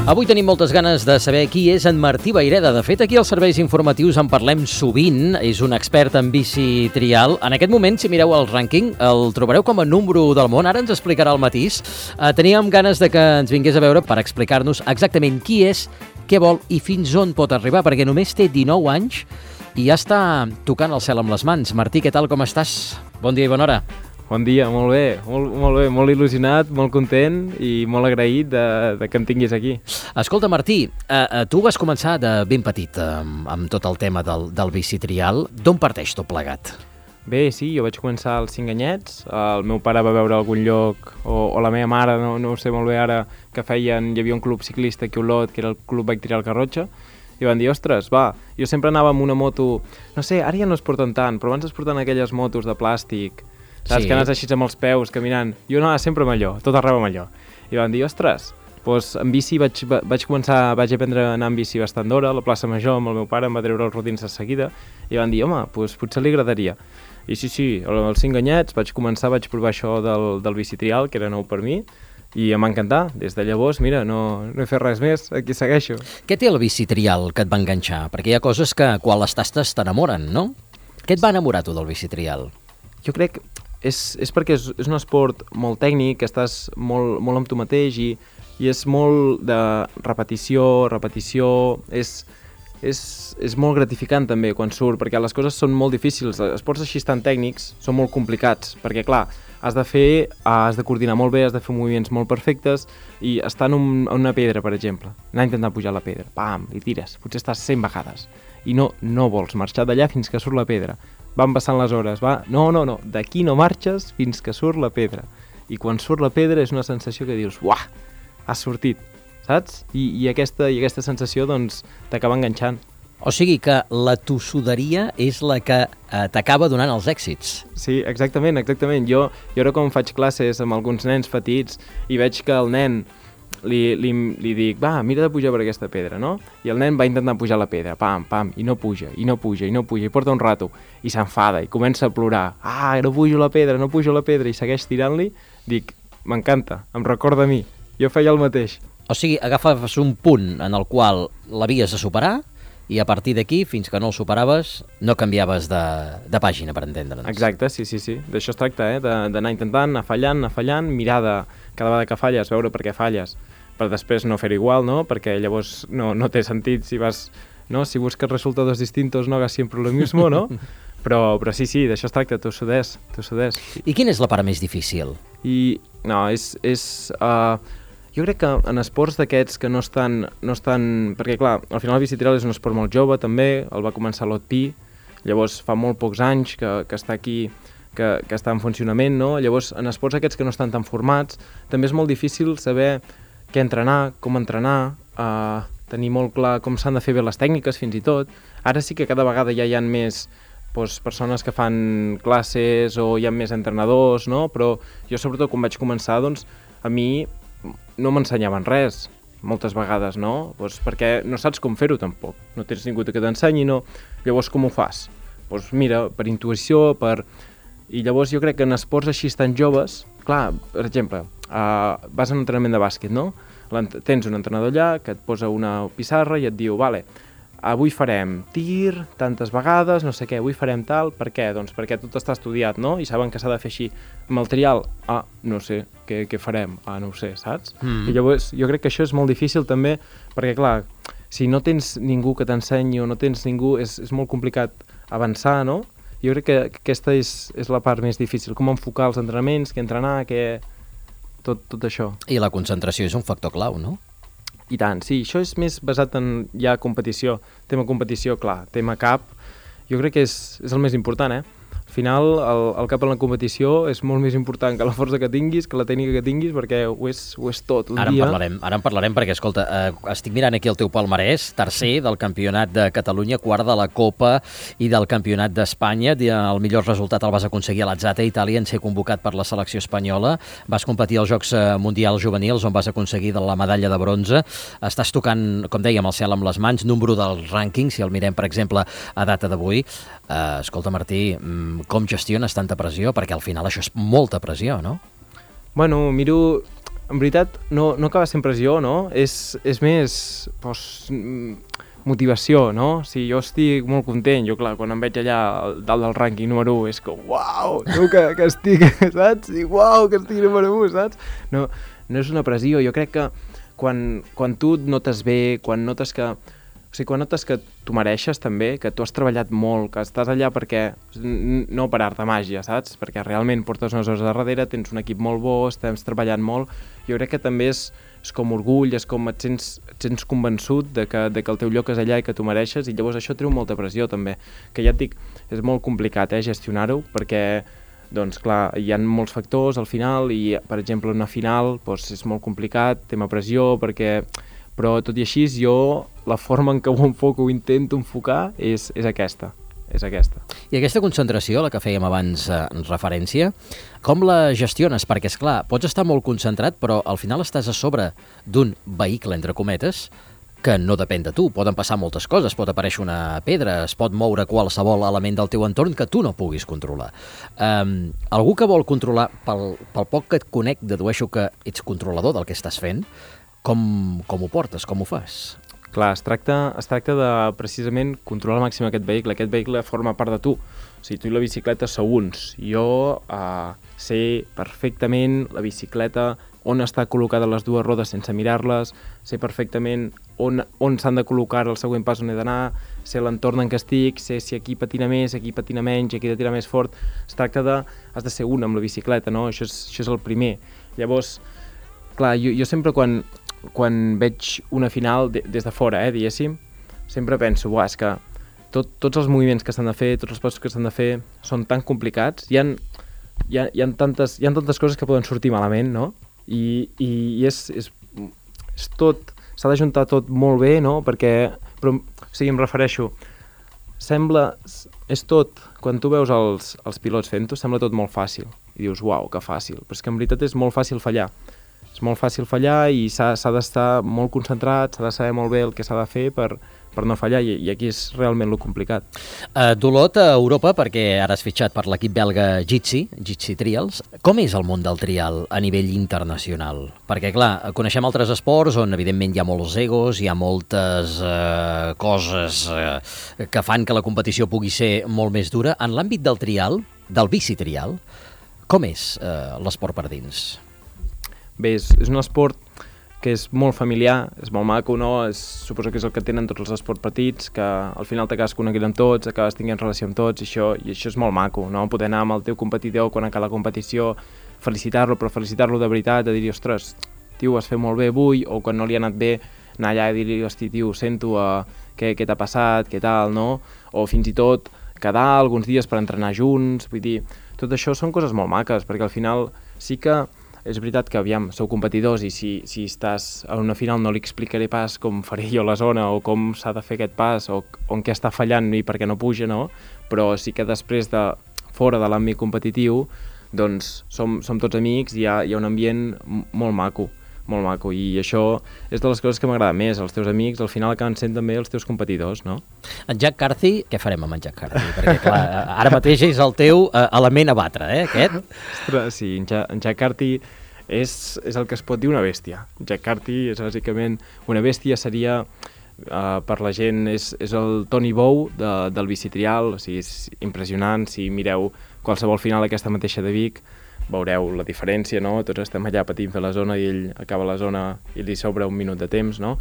Avui tenim moltes ganes de saber qui és en Martí Vayreda. De fet, aquí als serveis informatius en parlem sovint. És un expert en bici trial. En aquest moment, si mireu el rànquing, el trobareu com a número 1 del món. Ara ens explicarà el matís. Teníem ganes de que ens vingués a veure per explicar-nos exactament qui és, què vol i fins on pot arribar, perquè només té 19 anys i ja està tocant el cel amb les mans. Martí, què tal, com estàs? Bon dia i bona hora. Bon dia, molt bé, molt il·lusionat, molt content i molt agraït de que em tinguis aquí. Escolta, Martí, tu vas començar de ben petit amb tot el tema del bici trial. D'on parteix tot plegat? Bé, sí, jo vaig començar als 5 anyets, el meu pare va veure algun lloc, o la meva mare, no ho sé molt bé ara, que hi havia un club ciclista aquí a Olot, que era el Club Bike Trial Garrotxa, i van dir, ostres, va, jo sempre anava amb una moto, no sé, ara ja no es porten tant, però abans es porten aquelles motos de plàstic, saps, sí, que anaves així amb els peus, caminant. Jo anava sempre amb allò, tot arreu amb allò. I van dir, ostres, doncs en bici vaig aprendre a anar en bici bastant d'hora, a la plaça Major amb el meu pare, em va treure els rodins de seguida, i van dir, home, doncs potser li agradaria. I sí, als 5 anyets vaig provar això del bici trial, que era nou per mi, i em va encantar. Des de llavors, mira, no he fet res més, aquí segueixo. Què té el bici trial que et va enganxar? Perquè hi ha coses que quan les tastes t'enamoren, no? Què et va enamorar tu del bici trial? Jo crec és perquè és un esport molt tècnic, que estàs molt amb tu mateix i és molt de repetició, és molt gratificant també quan surt, perquè les coses són molt difícils, els esports així tan tècnics són molt complicats, perquè clar, has de coordinar molt bé, has de fer moviments molt perfectes i estar en una pedra, per exemple, anar intentant pujar la pedra, pam, i tires, potser estàs 100 vegades i no vols marxar d'allà fins que surt la pedra. Van passant les hores, no, d'aquí no marxes fins que surt la pedra. I quan surt la pedra és una sensació que dius, uah, has sortit, saps? I aquesta sensació, doncs, t'acaba enganxant. O sigui que la tossuderia és la que t'acaba donant els èxits. Sí, exactament. Jo ara quan faig classes amb alguns nens petits i veig que el nen li dic, va, mira de pujar per aquesta pedra, no? I el nen va intentant pujar la pedra, pam, i no puja, i porta un rato, i s'enfada, i comença a plorar, no pujo la pedra, i segueix tirant-li, dic, m'encanta, em recorda a mi, jo feia el mateix. O sigui, agafaves un punt en el qual l'havies de superar, i a partir d'aquí, fins que no el superaves, no canviaves de pàgina, per entendre'ns. Exacte, sí. D'això es tracta, d'anar intentant, anar fallant, mirar cada vegada que falles, veure per què falles, per després no fer-ho igual, no? Perquè llavors no té sentit si vas, no? Si busques resultados distintos no hagas siempre lo mismo, no? Però sí, d'això es tracta, tossudès. I quina és la part més difícil? Jo crec que en esports d'aquests que no estan... Perquè, clar, al final el bici trial és un esport molt jove, també, el va començar l'OTPI, llavors fa molt pocs anys que està aquí, que està en funcionament, no? Llavors, en esports aquests que no estan tan formats, també és molt difícil saber què entrenar, com entrenar, tenir molt clar com s'han de fer bé les tècniques, fins i tot. Ara sí que cada vegada ja hi ha més persones que fan classes o hi ha més entrenadors, no? Però jo, sobretot, quan vaig començar, doncs, a mi no m'ensenyaven res, moltes vegades, no? Doncs perquè no saps com fer-ho, tampoc. No tens ningú que t'ensenyi, no? Llavors, com ho fas? Doncs mira, per intuïció, I llavors jo crec que en esports així tan joves, clar, per exemple, vas a un entrenament de bàsquet, no? Tens un entrenador allà que et posa una pissarra i et diu, vale, avui farem tir, tantes vegades, no sé què, avui farem tal, per què? Doncs perquè tot està estudiat, no? I saben que s'ha de fer així. Amb el trial, no sé, què farem? No ho sé, saps? I llavors jo crec que això és molt difícil també, perquè clar, si no tens ningú que t'ensenyi o no tens ningú, és molt complicat avançar, no? Jo crec que aquesta és la part més difícil, com enfocar els entrenaments, què entrenar, tot això. I la concentració és un factor clau, no? I tant, sí, això és més basat en ja competició, tema competició, clar, tema cap, jo crec que és el més important, Al final, el cap en la competició és molt més important que la força que tinguis, que la tècnica que tinguis, perquè ho és tot un dia. Ara en parlarem perquè, escolta, estic mirant aquí el teu palmarès, tercer del Campionat de Catalunya, quart de la Copa i del Campionat d'Espanya. El millor resultat el vas aconseguir a l'Atzate, a Itàlia, en ser convocat per la selecció espanyola. Vas competir als Jocs Mundials Juvenils, on vas aconseguir la medalla de bronze. Estàs tocant, com dèiem, el cel amb les mans, número del rànquing, si el mirem, per exemple, a data d'avui. Escolta, Martí, com gestiones tanta pressió? Perquè al final això és molta pressió, no? Bueno, miro en veritat, no acaba sent pressió, no? És més motivació, no? Si jo estic molt content, jo, clar, quan em veig allà dalt del rànquing número 1, és com, uau, no, que estic, saps? I uau, que estic número 1, saps? No és una pressió, jo crec que quan tu et notes bé, quan notes que tu mereixes també, que tu has treballat molt, que estàs allà perquè, no per art de màgia, saps? Perquè realment portes unes hores de darrere, tens un equip molt bo, estem treballant molt, jo crec que també és com orgull, és com et sents convençut de que el teu lloc és allà i que tu mereixes, i llavors això treu molta pressió també, que ja et dic, és molt complicat gestionar-ho, perquè doncs clar, hi ha molts factors al final i, per exemple, una final doncs, és molt complicat, tema pressió, però tot i així jo la forma en què ho enfoco, ho intento enfocar és aquesta. I aquesta concentració, a la que fèiem abans referència, com la gestiones? Perquè, esclar, pots estar molt concentrat, però al final estàs a sobre d'un vehicle, entre cometes, que no depèn de tu. Poden passar moltes coses, pot aparèixer una pedra, es pot moure qualsevol element del teu entorn que tu no puguis controlar. Algú que vol controlar, pel poc que et conec, dedueixo que ets controlador del que estàs fent, com ho portes, com ho fas? Clar, es tracta de precisament controlar al màxim aquest vehicle forma part de tu. O sigui, tu i la bicicleta sou uns. Jo sé perfectament la bicicleta, on està col·locada les dues rodes sense mirar-les, sé perfectament on s'han de col·locar el següent pas on he d'anar, sé l'entorn en què estic, sé si aquí patina més, aquí patina menys, aquí he de tirar més fort. Es tracta has de ser un amb la bicicleta, no? Això és el primer. Llavors, clar, jo sempre quan veig una final des de fora, diguéssim, sempre penso, és que tots els moviments que s'han de fer, tots els passos que s'han de fer són tan complicats, hi ha tantes coses que poden sortir malament, no? I és tot, s'ha d'ajuntar tot molt bé, no? Però, o sigui, em refereixo, és tot, quan tu veus els pilots fent-ho, sembla tot molt fàcil, i dius, uau, que fàcil, però és que en veritat és molt fàcil fallar. És molt fàcil fallar i s'ha d'estar molt concentrat, s'ha de saber molt bé el que s'ha de fer per no fallar, i aquí és realment lo complicat. D'Olot a Europa, perquè ara has fitxat per l'equip belga Jitsi Trials. Com és el món del trial a nivell internacional? Perquè, clar, coneixem altres esports on, evidentment, hi ha molts egos, hi ha moltes coses que fan que la competició pugui ser molt més dura. En l'àmbit del trial, del bicitrial, com és l'esport per dins? Bé, és un esport que és molt familiar, és molt maco, no? Suposo que és el que tenen tots els esports petits, que al final t'acabes coneguent amb tots, acabes tinguent relació amb tots, i això és molt maco, no? Poder anar amb el teu competidor quan acaba la competició, felicitar-lo, però felicitar-lo de veritat, de dir-li, ostres, tio, has fet molt bé avui, o quan no li ha anat bé, anar allà i dir-li, hosti, tio, sento què t'ha passat, què tal, no? O fins i tot quedar alguns dies per entrenar junts, vull dir, tot això són coses molt maques, perquè al final sí que és veritat que, aviam, sou competidors i si estàs a una final no li explicaré pas com faré jo la zona o com s'ha de fer aquest pas o en què està fallant i per què no puja, no? Però sí que després fora de l'àmbit competitiu, doncs som tots amics i hi ha un ambient molt maco, i això és de les coses que m'agrada més. Els teus amics al final acaben sent també els teus competidors, no? En Jack Carthy, què farem amb en Jack Carthy? Perquè, clar, ara mateix és el teu element a batre, aquest? Ostres, sí, en Jack Carthy és el que es pot dir una bèstia. Jack Carthy és bàsicament una bèstia, seria, per la gent, és el Tony Bow del bicitrial, o sigui, és impressionant. Si mireu qualsevol final aquesta mateixa de Vic, veureu la diferència, no? Tots estem allà patint fer la zona i ell acaba la zona i li sobra un minut de temps, no?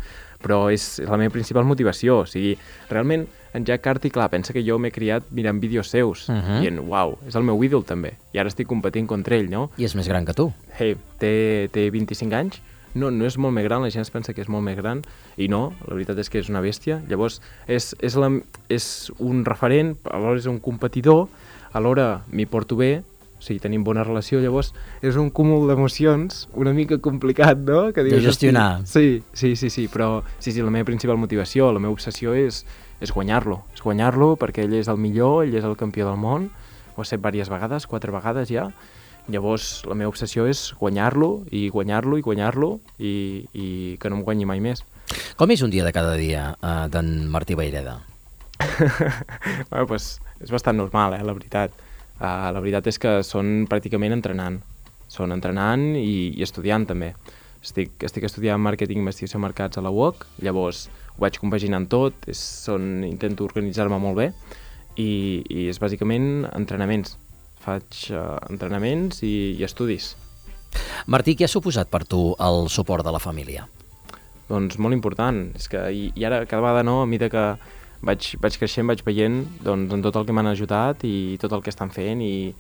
Però és la meva principal motivació, o sigui, realment en Jack Carthy, clar, pensa que jo m'he criat mirant vídeos seus, dient, uau, és el meu ídol també, i ara estic competint contra ell, no? I és més gran que tu. Hey, té 25 anys, no és molt més gran, la gent es pensa que és molt més gran, i no, la veritat és que és una bèstia, llavors és un referent, alhora és un competidor, alhora m'hi porto bé, o sigui, tenim bona relació, llavors és un cúmul d'emocions una mica complicat, no? Que dius, de gestionar. Sí, però sí, la meva principal motivació, la meva obsessió és guanyar-lo perquè ell és el millor, ell és el campió del món, ho ha set diverses vegades, 4 vegades ja, llavors la meva obsessió és guanyar-lo i que no em guanyi mai més. Com és un dia de cada dia d'en Martí Vayreda? Bueno, pues, és bastant normal, la veritat. La veritat és que són pràcticament entrenant. Són entrenant i estudiant també. estic estudiant màrqueting i investigació de mercats a la UOC, llavors ho vaig compaginant tot, intento organitzar-me molt bé i és bàsicament entrenaments. Faig entrenaments i estudis. Martí, què ha suposat per tu el suport de la família? Doncs molt important. És que, i ara cada vegada a mesura que vaig creixent, vaig veient doncs, en tot el que m'han ajudat i tot el que estan fent, i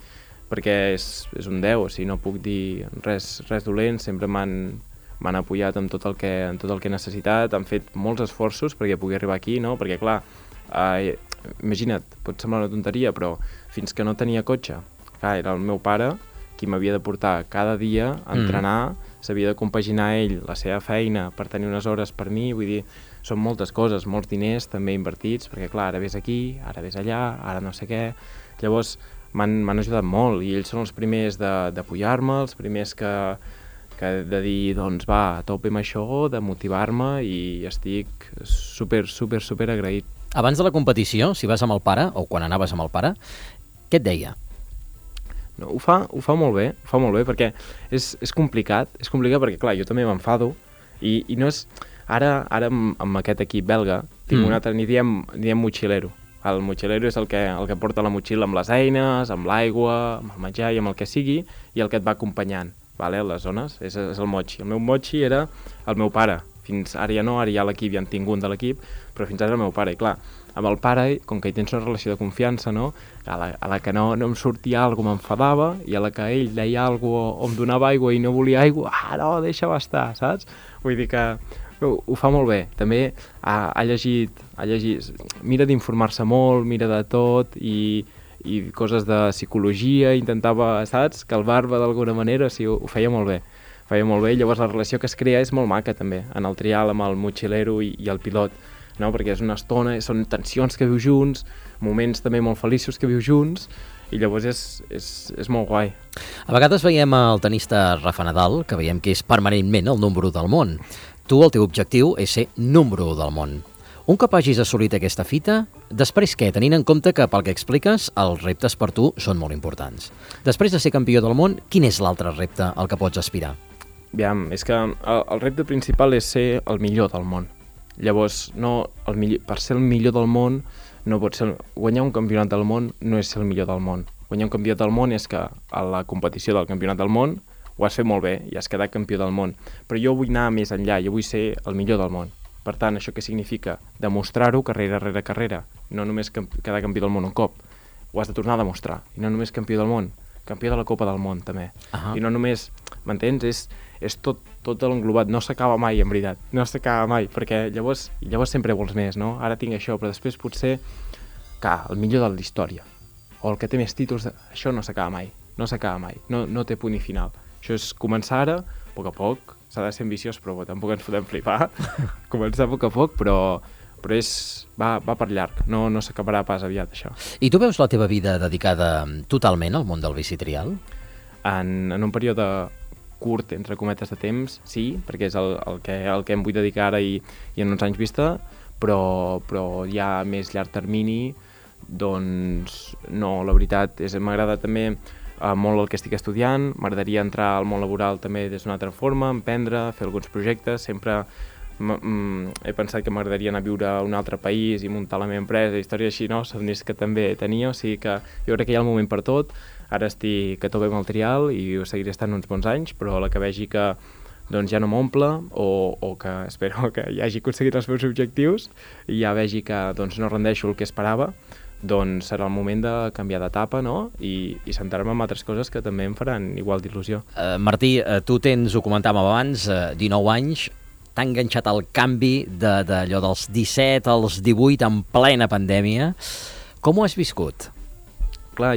perquè és un 10, o sigui, no puc dir res dolent, sempre m'han apoyat en tot el que he necessitat, han fet molts esforços perquè pugui arribar aquí, no? Perquè clar, imagina't, pot semblar una tonteria, però fins que no tenia cotxe, clar, era el meu pare qui m'havia de portar cada dia a entrenar, s'havia de compaginar ell la seva feina per tenir unes hores per mi, vull dir, són moltes coses, molts diners també invertits, perquè clar, ara ves aquí, ara ves allà, ara no sé què, llavors m'han ajudat molt i ells són els primers d'apoyar-me, els primers que de dir, doncs va, a tope amb això, de motivar-me, i estic super agraït. Abans de la competició, si vas amb el pare, o quan anaves amb el pare, què et deia? No, ho fa molt bé, perquè és complicat perquè, clar, jo també m'enfado, i no és... Ara amb aquest equip belga, tinc un altre, ni diem motxilero. El motxilero és el que porta la motxilla amb les eines, amb l'aigua, amb el menjar i amb el que sigui, i el que et va acompanyant, vale? A les zones, és el motxi. El meu motxi era el meu pare. Fins ara ja no, ara ja l'equip, ja en tinc un de l'equip, però fins ara el meu pare. I clar, amb el pare, com que hi tens una relació de confiança, no? A la que no em sortia alguna cosa m'enfadava, i a la que ell deia alguna cosa o em donava aigua i no volia aigua, no, deixa-ho estar, saps? Vull dir que ho fa molt bé. També ha llegit, mira d'informar-se molt, mira de tot, i coses de psicologia, intentava, saps, calmar-me d'alguna manera, o sigui, ho feia molt bé. Llavors la relació que es crea és molt maca també, en el trial amb el motxilero i el pilot, no? Perquè és una estona, són tensions que vius junts, moments també molt feliços que vius junts, i llavors és molt guai. A vegades veiem el tenista Rafa Nadal, que veiem que és permanentment el número 1 del món. Tu, el teu objectiu és ser número 1 del món. Un cop hagis assolit aquesta fita, després què? Tenint en compte que, pel que expliques, els reptes per tu són molt importants. Després de ser campió del món, quin és l'altre repte al que pots aspirar? Aviam, és que el repte principal és ser el millor del món. Llavors, per ser el millor del món, no pot ser... Guanyar un campionat del món no és ser el millor del món. Guanyar un campionat del món és que a la competició del campionat del món ho has fet molt bé i has quedat campió del món. Però jo vull anar més enllà, jo vull ser el millor del món. Per tant, això què significa? Demostrar-ho carrera rere carrera. No només quedar campió del món un cop. Ho has de tornar a demostrar. I no només campió del món, campió de la Copa del Món, també. I no només... M'entens? És tot l'englobat. No s'acaba mai, en veritat. No s'acaba mai, perquè llavors sempre vols més, no? Ara tinc això, però després potser el millor de la història. O el que té més títols... Això no s'acaba mai. No té punt i final. Això és començar ara, a poc a poc. S'ha de ser ambiciós, però tampoc ens podem flipar. Començar a poc a poc, però va per llarg. No s'acabarà pas aviat, això. I tu veus la teva vida dedicada totalment al món del bicitrial? En un període curt, entre cometes de temps, sí, perquè és el que em vull dedicar ara i en uns anys vista, però ja a més llarg termini, doncs no, la veritat m'agrada també molt el que estic estudiant, m'agradaria entrar al món laboral també des d'una altra forma, emprendre, fer alguns projectes, sempre he pensat que m'agradaria anar a viure a un altre país i muntar la meva empresa, històries així, no? Somnis que també tenia, o sigui que jo crec que hi ha el moment per tot. Ara estic a tope amb el trial i ho seguiré estant uns bons anys, però a la que vegi que doncs ja no m'omple o que espero que ja hagi aconseguit els meus objectius i ja vegi que doncs, no rendeixo el que esperava, doncs serà el moment de canviar d'etapa, no? I centrar-me en altres coses que també em faran igual d'il·lusió. Martí, tu tens, ho comentàvem abans, 19 anys, t'ha enganxat el canvi d'allò dels 17 als 18 en plena pandèmia. Com ho has viscut? Clar,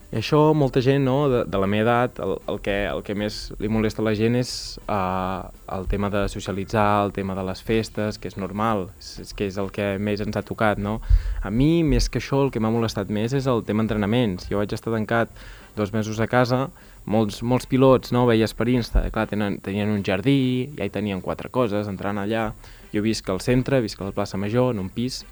i això molta gent, no, de la meva edat, el que més li molesta a la gent és el tema de socialitzar, el tema de les festes, que és normal, que és el que més ens ha tocat, no? A mi, més que això, el que m'ha molestat més és el tema entrenaments. Jo vaig estar tancat 2 mesos a casa, molts pilots, no, veies per Insta, clar, tenien un jardí, ja hi tenien 4 coses, entrant allà. Jo visc al centre, visc a la plaça Major, en un pis.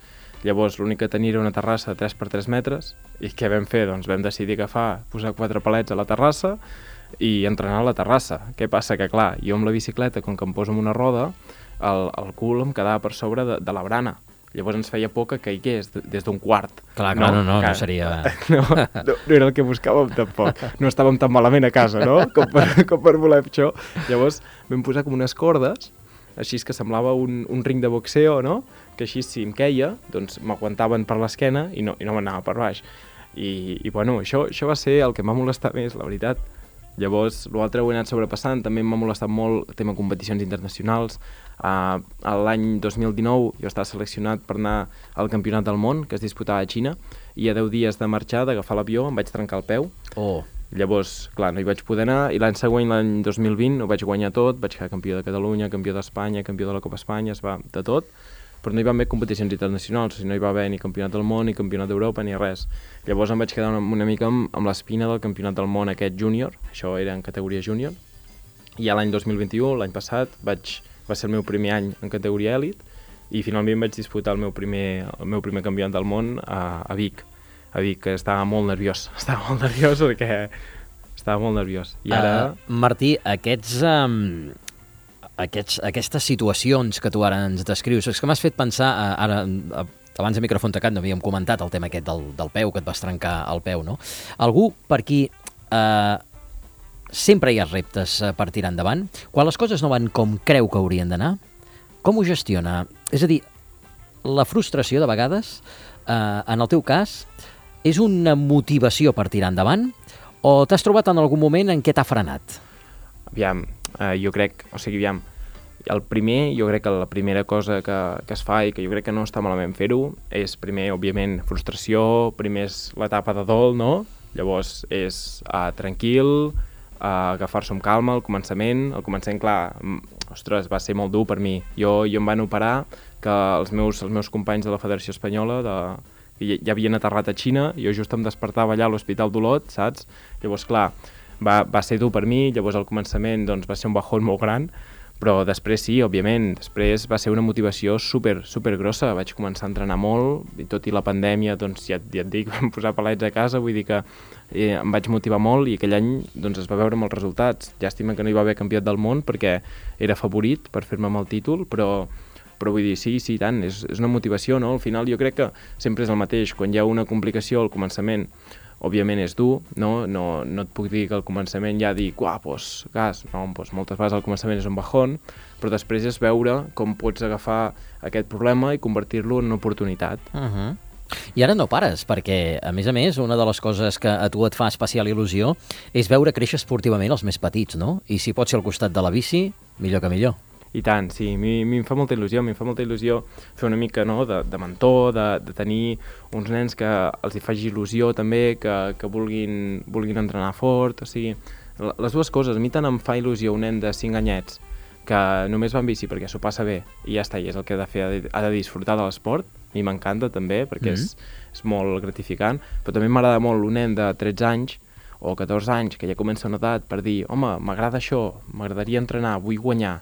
Llavors l'únic que tenia era una terrassa de 3 per 3 metres i què vam fer? Doncs vam decidir posar 4 palets a la terrassa i entrenar a la terrassa. Què passa? Que clar, jo amb la bicicleta, com que em poso en una roda, el cul em quedava per sobre de la barana. Llavors ens feia por que caigués des d'un quart. Clar, no seria... No era el que buscàvem tampoc. No estàvem tan malament a casa, no? Com per voler això. Llavors vam posar com unes cordes, així que semblava un ring de boxeo, no? Que així si em queia, doncs m'aguantaven per l'esquena i no m'anava per baix. I bueno, això va ser el que m'ha molestat més, la veritat. Llavors, l'altre ho he anat sobrepassant, també m'ha molestat molt el tema competicions internacionals. L'any 2019 jo estava seleccionat per anar al Campionat del Món, que es disputava a Xina, i a 10 dies de marxar, d'agafar l'avió, em vaig trencar el peu. Llavors, clar, no hi vaig poder anar, i l'any següent, l'any 2020, ho vaig guanyar tot, vaig quedar campió de Catalunya, campió d'Espanya, campió de la Copa Espanya, es va de tot, però no hi va haver competicions internacionals, o sigui, no hi va haver ni Campionat del Món, ni Campionat d'Europa, ni res. Llavors em vaig quedar una mica amb l'espina del Campionat del Món aquest júnior, això era en categoria júnior, i a l'any 2021, l'any passat, va ser el meu primer any en categoria èlit, i finalment vaig disputar el meu primer Campionat del Món a Vic, que estava molt nerviós perquè estava molt nerviós. I ara... Martí, aquestes situacions que tu ara ens descrius, és que m'has fet pensar, abans de micròfon tacat no havíem comentat el tema aquest del peu, que et vas trencar el peu, no? Algú per qui sempre hi ha reptes per tirar endavant, quan les coses no van com creu que haurien d'anar, com ho gestiona? És a dir, la frustració de vegades, en el teu cas, és una motivació per tirar endavant o t'has trobat en algun moment en què t'ha frenat? Aviam, jo crec que la primera cosa que es fa i que jo crec que no està malament fer-ho és primer, òbviament, frustració, primer és l'etapa de dol, no? Llavors és tranquil, agafar-se amb calma al començament. Al començament, clar, ostres, va ser molt dur per mi. Jo em van operar que els meus companys de la Federació Espanyola ja havien aterrat a Xina, jo just em despertava allà a l'Hospital d'Olot, saps? Llavors, clar, va ser dur per mi, llavors al començament doncs, va ser un bajón molt gran, però després sí, òbviament, després va ser una motivació super grossa, vaig començar a entrenar molt, i tot i la pandèmia, doncs ja et dic, vam posar palets a casa, vull dir que em vaig motivar molt i aquell any doncs, es va veure amb els resultats. Llàstima que no hi va haver campionat del món perquè era favorit per fer-me amb el títol, però vull dir, sí, tant, és una motivació, no? Al final jo crec que sempre és el mateix, quan hi ha una complicació al començament, òbviament és dur, no et puc dir que al començament ja dic, gas, no, moltes vegades al començament és un bajón, però després és veure com pots agafar aquest problema i convertir-lo en una oportunitat. I ara no pares, perquè, a més, una de les coses que a tu et fa especial il·lusió és veure créixer esportivament els més petits, no? I si pot ser al costat de la bici, millor que millor. I tant, sí, a mi em fa molta il·lusió, fer una mica de mentor, de tenir uns nens que els hi faci il·lusió també, que vulguin entrenar fort, o sigui, les dues coses. A mi tant em fa il·lusió un nen de 5 anyets que només va en bici perquè s'ho passa bé i ja està, i és el que ha de fer, ha de disfrutar de l'esport, a mi m'encanta també perquè és molt gratificant, però també m'agrada molt un nen de 13 anys o 14 anys que ja comença una edat per dir, home, m'agrada això, m'agradaria entrenar, vull guanyar,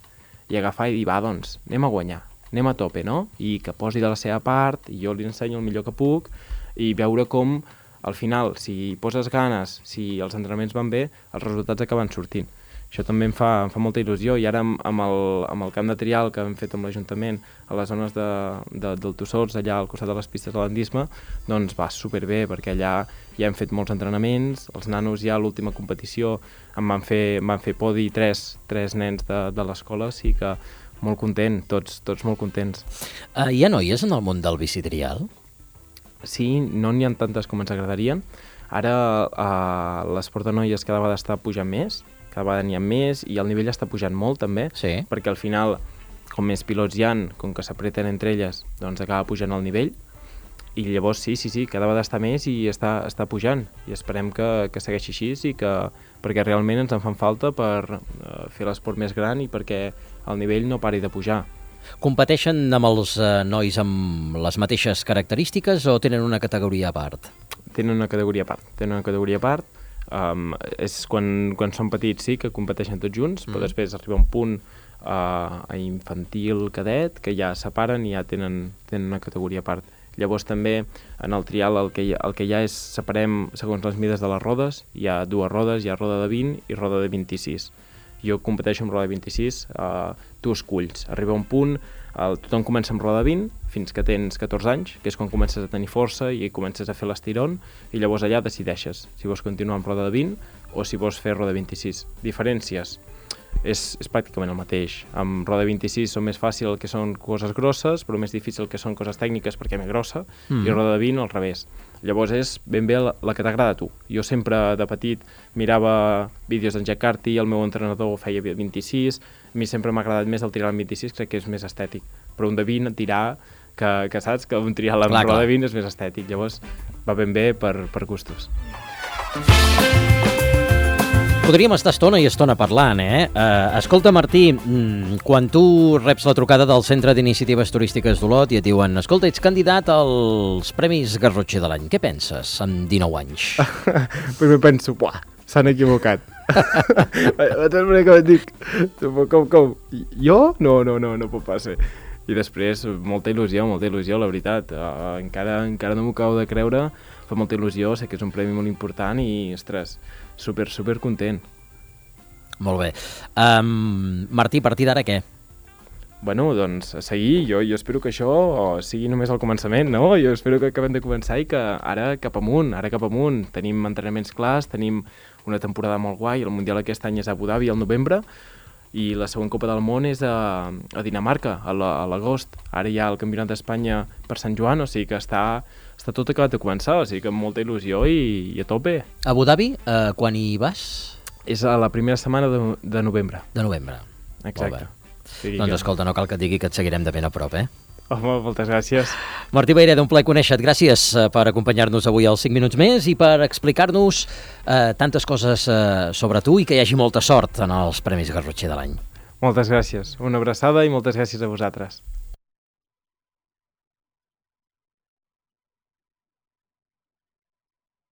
i agafar i dir, va, doncs, anem a guanyar, anem a tope, no? I que posi de la seva part, i jo li ensenyo el millor que puc, i veure com, al final, si poses ganes, si els entrenaments van bé, els resultats acaben sortint. Això també em fa molta il·lusió, i ara amb el camp de trial que hem fet amb l'Ajuntament a les zones del Tossors, allà al costat de les pistes de l'Andisme, doncs va superbé, perquè allà ja hem fet molts entrenaments, els nanos ja a l'última competició em van fer podi 3 nens de l'escola, sí que molt content, tots molt contents. Hi ha noies en el món del bicitrial? Sí, no n'hi ha tantes com ens agradarien. Ara l'esport de noies cada vegada està pujant més, cada vegada n'hi ha més, i el nivell està pujant molt també, perquè al final, com més pilots hi ha, com que s'apreten entre elles, doncs acaba pujant el nivell, i llavors sí, cada vegada està més i està pujant, i esperem que segueixi així, perquè realment ens en fan falta per fer l'esport més gran i perquè el nivell no pari de pujar. Competeixen amb els nois amb les mateixes característiques o tenen una categoria a part? Tenen una categoria a part. És quan són petits sí que competeixen tots junts, però després arriba un punt a infantil, cadet, que ja separen i ja tenen una categoria a part. Llavors també en el trial el que hi ha és separem segons les mides de les rodes, hi ha 2 rodes, hi ha roda de 20 i roda de 26. Jo competeixo amb roda de 26, tu esculls. Arriba un punt, tothom comença amb roda de 20 fins que tens 14 anys, que és quan comences a tenir força i comences a fer l'estirón, i llavors allà decideixes si vols continuar amb roda de 20 o si vols fer roda de 26. Diferències. És pràcticament el mateix. Amb roda 26 són més fàcil el que són coses grosses, però més difícil que són coses tècniques perquè és més grossa, i roda de 20 al revés. Llavors és ben bé la que t'agrada a tu. Jo sempre de petit mirava vídeos d'en Jack Carty, el meu entrenador feia 26, a mi sempre m'ha agradat més el trial amb 26, crec que és més estètic, però un de 20 tirar, que saps que un trial amb roda de 20 és més estètic, llavors va ben bé per gustos. Podríem estar estona i estona parlant, Escolta, Martí, quan tu reps la trucada del Centre d'Iniciatives Turístiques d'Olot i et diuen escolta, ets candidat als Premis Garrotxer de l'any, què penses amb 19 anys? Primer penso, buah, s'han equivocat. Com? Jo? No pot ser. I després, molta il·lusió, la veritat. Encara no m'ho acabo de creure, fa molta il·lusió, sé que és un premi molt important i, ostres, super content. Molt bé. Martí, a partir d'ara què? Bueno, doncs, a seguir. Jo espero que això sigui només el començament, no? Jo espero que acabem de començar i que ara cap amunt. Tenim entrenaments clars, tenim una temporada molt guai, el Mundial aquest any és a Abu Dhabi al novembre, i la següent Copa del Món és a Dinamarca, a l'agost. Ara hi ha el Campionat d'Espanya per Sant Joan, o sigui que està tot acabat de començar, o sigui que amb molta il·lusió i a tope. Abu Dhabi, quan hi vas? És a la primera setmana de novembre. De novembre. Exacte. Doncs escolta, no cal que et digui que et seguirem de ben a prop, Home, moltes gràcies. Martí Vayreda, un plaer conèixer-te. Gràcies per acompanyar-nos avui als 5 minuts més i per explicar-nos tantes coses sobre tu i que hi hagi molta sort en els Premis Garrotxer de l'any. Moltes gràcies. Una abraçada i moltes gràcies a vosaltres.